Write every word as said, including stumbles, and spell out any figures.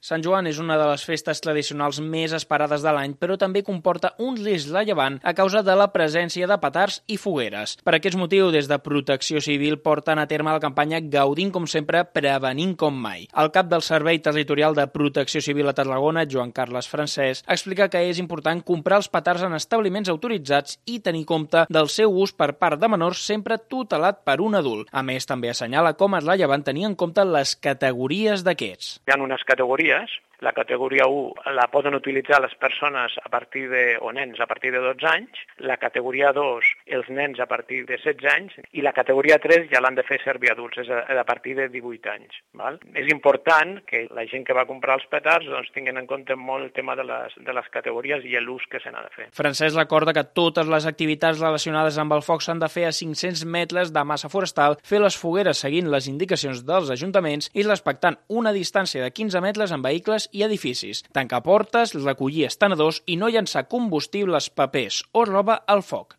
Sant Joan és una de les festes tradicionals més esperades de l'any, però també comporta un risc rellevant a causa de la presència de petards i fogueres. Per aquest motiu, des de Protecció Civil porten a terme la campanya Gaudint com sempre, prevenint com mai. El cap del Servei Territorial de Protecció Civil a Tarragona, Joan Carles Francesc, explica que és important comprar els petards en establiments autoritzats i tenir compte del seu ús per part de menors sempre tutelat per un adult. A més, també assenyala com és rellevant tenir en compte les categories d'aquests. Hi ha unes categories. La categoria u la poden utilitzar les persones a partir de, o nens a partir de dotze anys, la categoria dos els nens a partir de setze anys i la categoria tres ja l'han de fer servir adults, és a, a partir de divuit anys. Val? És important que la gent que va comprar els petards doncs, tinguin en compte molt el tema de les, de les categories i l'ús que se n'ha de fer. Francesc recorda que totes les activitats relacionades amb el foc s'han de fer a cinc-cents metres de massa forestal, fer les fogueres seguint les indicacions dels ajuntaments i respectant una distància de quinze metres en vehicles i edificis, tancar portes, recollir estenedors i no llançar combustibles, papers o roba al foc.